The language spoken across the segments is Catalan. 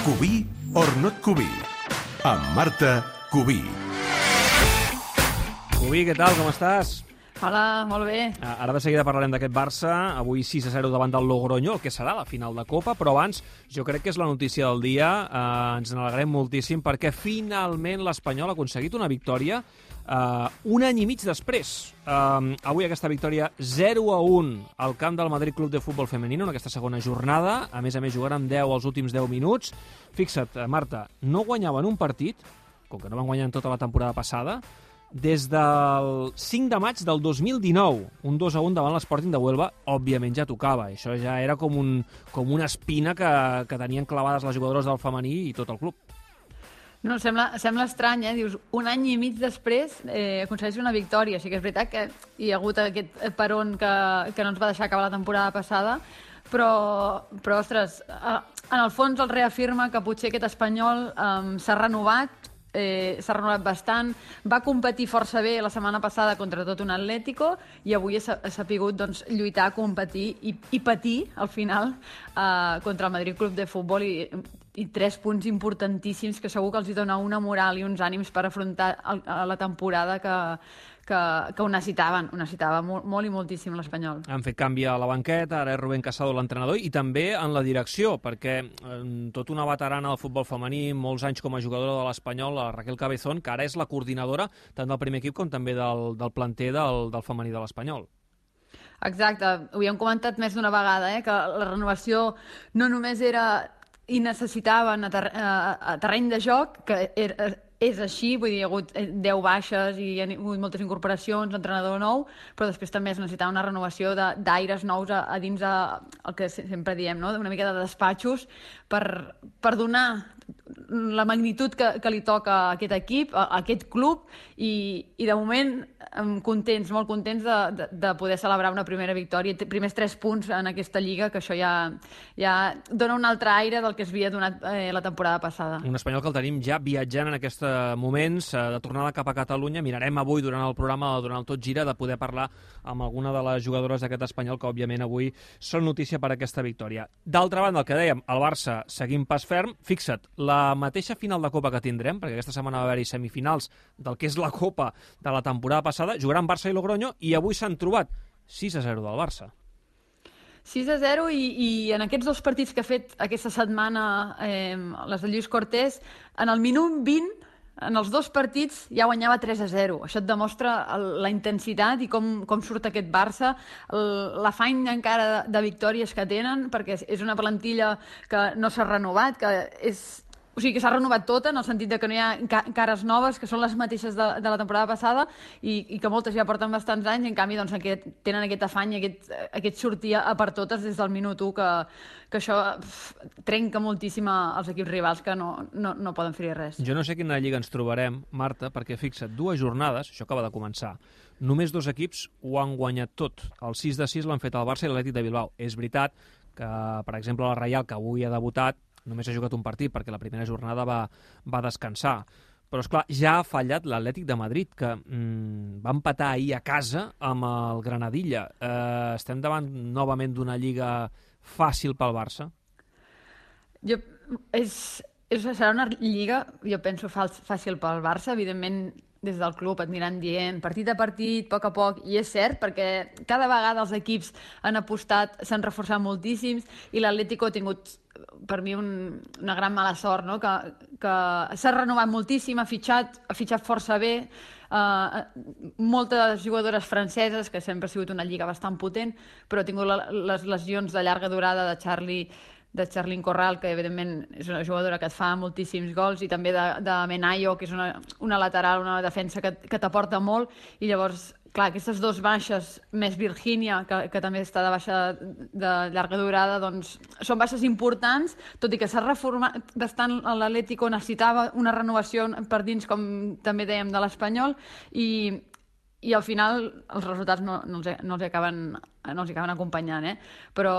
Cubí or not Cubí, amb Marta Cubí. Cubí, què tal? Com estàs? Hola, molt bé. Ara de seguida parlarem d'aquest Barça, avui 6-0 davant del Logroño, el que serà la final de Copa, però abans jo crec que és la notícia del dia, ens n'alegrem moltíssim perquè finalment l'Espanyol ha aconseguit una victòria un any i mig després. Avui aquesta victòria 0-1 al camp del Madrid Club de Futbol Femenino en aquesta segona jornada, a més jugant amb 10 els últims 10 minuts. Fixa't, Marta, no guanyaven un partit, com que no van guanyar en tota la temporada passada, des del 5 de maig del 2019, un 2-1 davant l'Sporting de Huelva, òbviament ja tocava. Això ja era com una espina que tenien clavades les jugadores del femení i tot el club. No, sembla estrany, Dius, un any i mig després aconsegueix una victòria. Sí que és veritat que hi ha hagut aquest peron que no ens va deixar acabar la temporada passada, però ostres, en el fons el reafirma que potser aquest Espanyol s'ha renovat bastant, va competir força bé la setmana passada contra tot un Atlético i avui ha sapigut lluitar, competir i patir al final contra el Madrid Club de Futbol i 3 punts importantíssims que segur que els hi dona una moral i uns ànims per afrontar la temporada que ho necessitava molt i moltíssim l'Espanyol. Han fet canvi a la banqueta, ara és Rubén Casado l'entrenador, i també en la direcció, perquè tota una veterana del futbol femení, molts anys com a jugadora de l'Espanyol, la Raquel Cabezón, que ara és la coordinadora tant del primer equip com també del planter del femení de l'Espanyol. Exacte, ho hem comentat més d'una vegada, que la renovació no només era i necessitaven a terreny de joc, que és així, vull dir, hi ha hagut 10 baixes i hi ha hagut moltes incorporacions, entrenador nou, però després també es necessitava una renovació d'aires nous a dins el que sempre diem, no? Una mica de despatxos per donar la magnitud que li toca a aquest equip, a aquest club, i de moment contents, molt contents de poder celebrar una primera victòria, primers 3 punts en aquesta lliga, que això ja dona un altre aire del que es havia donat la temporada passada. Un Espanyol que el tenim ja viatjant en aquests moments, de tornada cap a Catalunya. Mirarem avui, durant el programa, durant el Tot Gira, de poder parlar amb alguna de les jugadores d'aquest Espanyol, que òbviament avui són notícia per aquesta victòria. D'altra banda, el que dèiem, el Barça seguim pas ferm. Fixa't, la mateixa final de Copa que tindrem, perquè aquesta setmana va haver-hi semifinals del que és la Copa de la temporada passada, jugaran Barça i Logroño, i avui s'han trobat 6-0 del Barça. 6-0 i en aquests 2 partits que ha fet aquesta setmana les de Lluís Cortés, en el minut 20, en els 2 partits ja guanyava 3-0. Això et demostra la intensitat i com surt aquest Barça, l'afany encara de victòries que tenen, perquè és una plantilla que no s'ha renovat, o sigui que s'ha renovat tota, en el sentit que no hi ha cares noves, que són les mateixes de la temporada passada i que moltes ja porten bastants anys, i en canvi tenen aquest afany, aquest sortir a per totes des del minut 1, que això trenca moltíssim els equips rivals que no poden fer-hi res. Jo no sé quina lliga ens trobarem, Marta, perquè fixa't, 2 jornades, això acaba de començar, només 2 equips ho han guanyat tot. El 6-6 l'han fet el Barça i l'Atlètic de Bilbao. És veritat que, per exemple, la Reial, que avui ha debutat, només ha jugat un partit perquè la primera jornada va descansar. Però, esclar, ja ha fallat l'Atlètic de Madrid, que va empatar ahir a casa amb el Granadilla. Estem davant novament d'una lliga fàcil pel Barça? Serà una lliga, jo penso, fàcil pel Barça. Evidentment, des del club et aniran dient partit a partit, a poc, i és cert, perquè cada vegada els equips han apostat, s'han reforçat moltíssims, i l'Atlético ha tingut, per mi, una gran mala sort, no? Que s'ha renovat moltíssim, ha fitxat força bé, moltes jugadores franceses, que sempre ha sigut una lliga bastant potent, però ha tingut les lesions de llarga durada de Charlyn Corral, que evidentment és una jugadora que et fa moltíssims gols, i també de Menayo, que és una lateral, una defensa que t'aporta molt, i llavors, clar, aquestes 2 baixes, més Virgínia, que també està de baixa de llarga durada, doncs són baixes importants, tot i que s'ha reformat bastant l'Atlético, necessitava una renovació per dins, com també dèiem, de l'Espanyol, i al final els resultats no els acaben acompanyant, però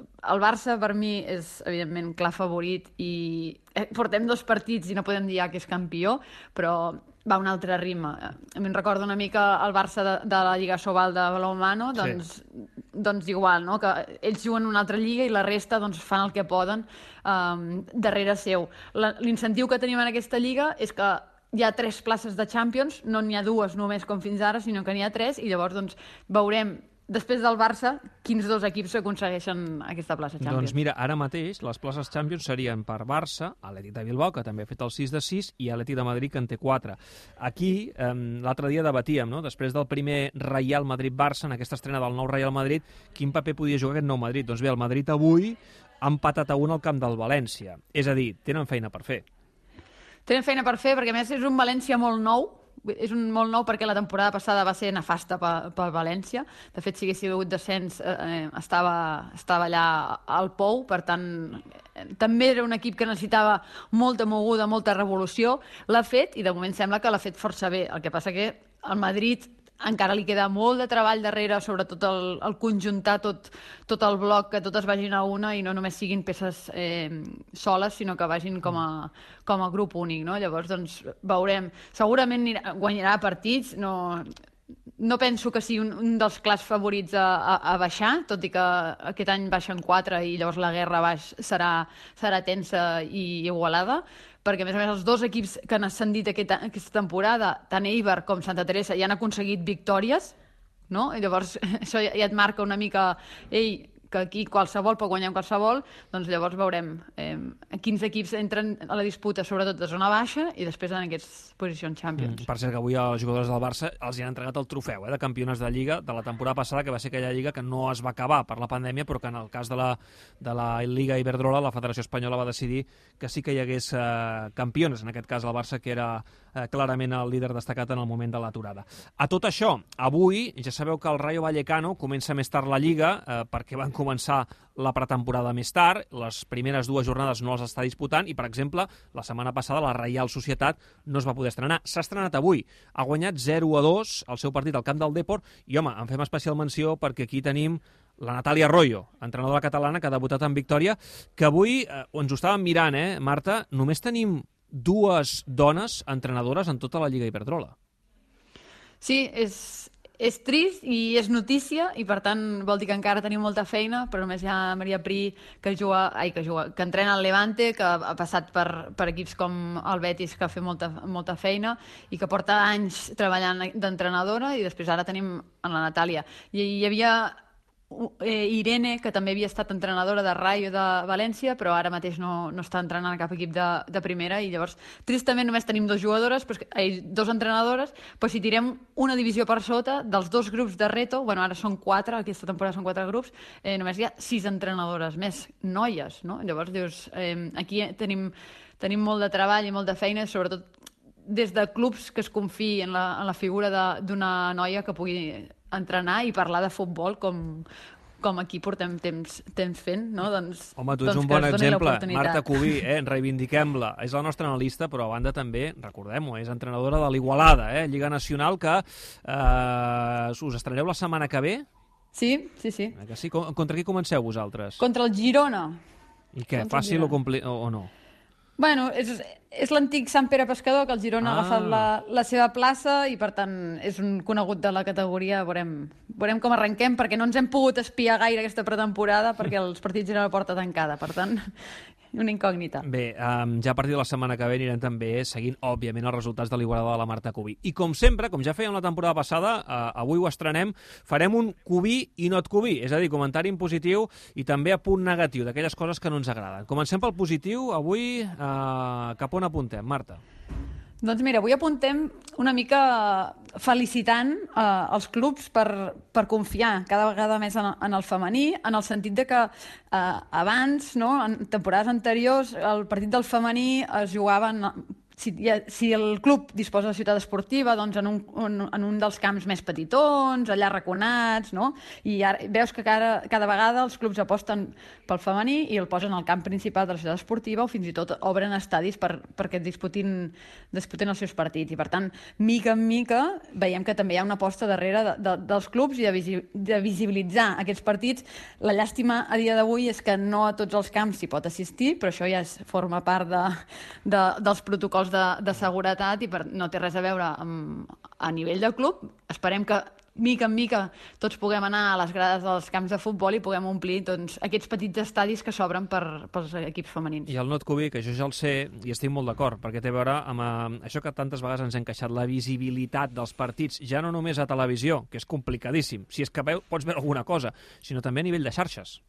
el Barça per mi és evidentment clar favorit i portem 2 partits i no podem dir que és campió, però va a un altre ritme. A mi em recorda una mica el Barça de la Lliga Sobal de balonmano, doncs doncs igual, no? Que ells juguen una altra lliga i la resta doncs, fan el que poden darrere seu. L'incentiu que tenim en aquesta lliga és que hi ha 3 places de Champions, no n'hi ha 2 només com fins ara, sinó que n'hi ha 3, i llavors doncs, veurem després del Barça quins 2 equips aconsegueixen aquesta plaça Champions. Doncs mira, ara mateix les places Champions serien per Barça, Atlètic de Bilbao, que també ha fet el 6 de 6, i Atlètic de Madrid, que en té 4. Aquí, l'altre dia debatíem, no? Després del primer Real Madrid-Barça, en aquesta estrena del nou Real Madrid, quin paper podia jugar aquest nou Madrid? Doncs bé, el Madrid avui ha empatat a 1 al camp del València. És a dir, tenen feina per fer. Tenen feina per fer, perquè a més és un València molt nou, és un molt nou perquè la temporada passada va ser nefasta pel València. De fet, si hagués hagut descens, estava allà al pou, per tant, també era un equip que necessitava molta moguda, molta revolució. L'ha fet, i de moment sembla que l'ha fet força bé. El que passa que al Madrid encara li queda molt de treball darrere, sobretot el conjuntar tot el bloc, que totes vagin a una i no només siguin peces soles, sinó que vagin com a grup únic, no? Llavors, doncs, veurem. Segurament guanyarà partits, no penso que sigui un dels clars favorits a baixar, tot i que aquest any baixen 4 i llavors la guerra baix serà tensa i igualada, perquè a més els 2 equips que han ascendit aquesta temporada, tant Eibar com Santa Teresa, ja han aconseguit victòries, no? I llavors això ja et marca una mica, que aquí qualsevol pot guanyar qualsevol, doncs llavors veurem quins equips entren a la disputa, sobretot de zona baixa, i després en aquestes posicions Champions. Per cert, que avui als jugadors del Barça els han entregat el trofeu de campionats de Lliga de la temporada passada, que va ser aquella Lliga que no es va acabar per la pandèmia, però que en el cas de la Liga Iberdrola, la Federació Espanyola va decidir que sí que hi hagués campiones, en aquest cas el Barça, que era clarament el líder destacat en el moment de l'aturada. A tot això, avui ja sabeu que el Rayo Vallecano comença més tard la Lliga, perquè van començar la pretemporada més tard, les primeres 2 jornades no les està disputant, i per exemple, la setmana passada la Reial Societat no es va poder estrenar. S'ha estrenat avui, ha guanyat 0-2 el seu partit al camp del Depor, i home, en fem especial menció perquè aquí tenim la Natàlia Arroyo, entrenadora catalana que ha debutat en victòria, que avui ens ho estàvem mirant, Marta, només tenim 2 dones entrenadores en tota la Lliga Iberdrola. Sí, és trist i és notícia, i per tant vol dir que encara tenim molta feina, però només hi ha Maria Pri, que entrena al Levante, que ha passat per equips com el Betis, que ha fet molta feina i que porta anys treballant d'entrenadora, i després ara tenim en la Natàlia. I hi havia Irene, que també havia estat entrenadora de Rayo de València, però ara mateix no està entrenant cap equip de primera, i llavors tristament només tenim 2 jugadores, 2 entrenadores, però si tirem una divisió per sota dels 2 grups de Reto, bueno, ara són 4, aquesta temporada són 4 grups, només hi ha 6 entrenadores més noies, no? Llavors dius, aquí tenim molt de treball i molta feina, sobretot des de clubs que es confiï en la figura d'una noia que pugui entrenar i parlar de futbol com aquí portem temps fent, no? Home, tu ets un bon exemple. Marta Cubí, reivindiquem-la. És la nostra analista, però a banda també, recordem-ho, és entrenadora de l'Igualada, Lliga Nacional, que us estreneu la setmana que ve? Sí. Que sí? Contra qui comenceu vosaltres? Contra el Girona. I què, fàcil o no? Bueno, és l'antic Sant Pere Pescador, que el Girona ha agafat la seva plaça, i per tant és un conegut de la categoria. Veurem com arrenquem, perquè no ens hem pogut espiar gaire aquesta pretemporada, perquè els partits eren a la porta tancada, per tant, una incògnita. Bé, ja a partir de la setmana que ve anirem també seguint, òbviament, els resultats de l'Igualada de la Marta Cubí. I com sempre, com ja fèiem la temporada passada, avui ho estrenem, farem un Cubí i no et Cubí, és a dir, comentari en positiu i també a punt negatiu, d'aquelles coses que no ens agraden. Comencem pel positiu, avui cap on apuntem, Marta? Doncs mira, avui apuntem una mica felicitant els clubs per confiar cada vegada més en el femení, en el sentit de que abans, no, en temporades anteriors, el partit del femení es jugava si el club disposa de ciutat esportiva, doncs en un dels camps més petitons, allà arraconats, no? I ara veus que cada vegada els clubs aposten pel femení i el posen al camp principal de la ciutat esportiva, o fins i tot obren estadis perquè disputin els seus partits. I per tant, mica en mica, veiem que també hi ha una aposta darrere dels clubs i de visibilitzar aquests partits. La llàstima a dia d'avui és que no a tots els camps s'hi pot assistir, però això ja forma part dels protocols de seguretat i no té res a veure a nivell de club. Esperem que mica en mica tots puguem anar a les grades dels camps de futbol i puguem omplir doncs, aquests petits estadis que s'obren pels equips femenins. I el not Cubi, que jo ja el sé i estic molt d'acord, perquè té a veure amb això que tantes vegades ens hem queixat, la visibilitat dels partits, ja no només a televisió, que és complicadíssim, si és que pots veure alguna cosa, sinó també a nivell de xarxes.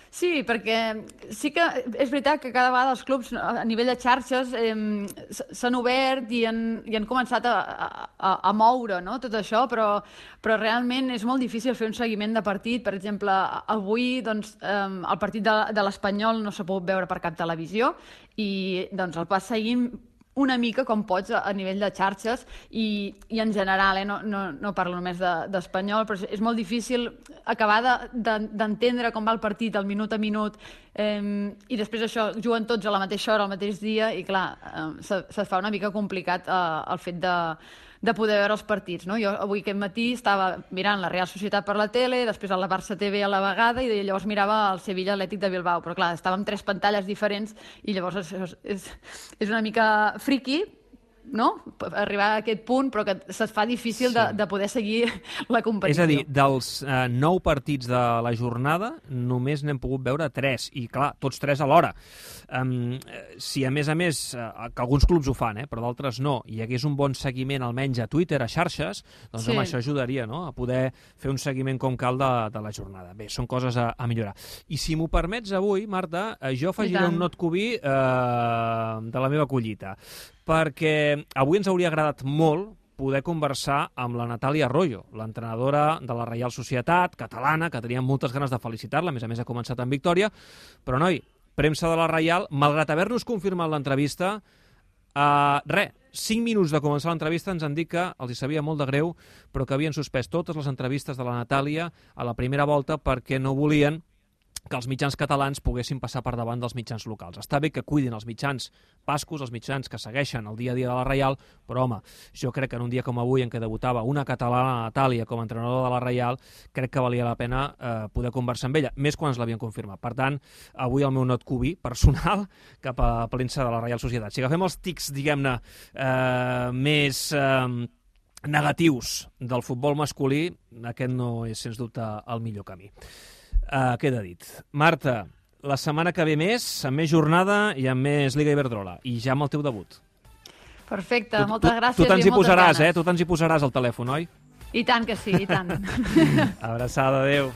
Sí, perquè sí que és veritat que cada vegada els clubs a nivell de xarxes s'han obert i han començat a moure, no? Tot això, però realment és molt difícil fer un seguiment de partit. Per exemple, avui doncs, el partit de l'Espanyol no s'ha pogut veure per cap televisió i doncs, el vas seguint una mica com pots a nivell de xarxes i en general, no parlo només d'Espanyol, però és molt difícil acabar d'entendre com va el partit al minut a minut i després això, juguen tots a la mateixa hora, al mateix dia i clar, se fa una mica complicat el fet de poder veure els partits. No? Jo avui aquest matí estava mirant la Real Societat per la tele, després a la Barça TV a la vegada i llavors mirava el Sevilla Atlètic de Bilbao, però clar, estàvem 3 pantalles diferents i llavors és una mica friqui, no? Arribar a aquest punt, però que se't fa difícil de poder seguir la competició. És a dir, dels 9 partits de la jornada, només n'hem pogut veure 3, i clar, tots 3 alhora. Si a més, que alguns clubs ho fan, però d'altres no, hi hagués un bon seguiment almenys a Twitter, a xarxes, doncs sí. Home, això ajudaria, no?, a poder fer un seguiment com cal de la jornada. Bé, són coses a millorar. I si m'ho permets avui, Marta, jo afegiré un not Cubi de la meva collita, perquè avui ens hauria agradat molt poder conversar amb la Natàlia Arroyo, l'entrenadora de la Reial Societat catalana, que teníem moltes ganes de felicitar-la, a més ha començat amb victòria, però noi, premsa de la Reial, malgrat haver-nos confirmat l'entrevista, 5 minuts de començar l'entrevista ens han dit que els hi sabia molt de greu, però que havien suspès totes les entrevistes de la Natàlia a la primera volta perquè no volien que els mitjans catalans poguessin passar per davant dels mitjans locals. Està bé que cuidin els mitjans bascos, els mitjans que segueixen el dia a dia de la Reial, però home, jo crec que en un dia com avui en què debutava una catalana, Natàlia, com a entrenadora de la Reial, crec que valia la pena poder conversar amb ella, més quan ens l'havien confirmat. Per tant, avui el meu not Cubi personal cap a premsa de la Reial Societat. Si agafem els tics, diguem-ne, més negatius del futbol masculí, aquest no és, sens dubte, el millor camí. Queda dit. Marta, la setmana que ve més, amb més jornada i amb més Liga Iberdrola, i ja amb el teu debut. Perfecte, moltes gràcies. Tu te'ns hi posaràs, tu te'ns hi posaràs al telèfon, oi? I tant que sí, i tant. Abraçada, adéu.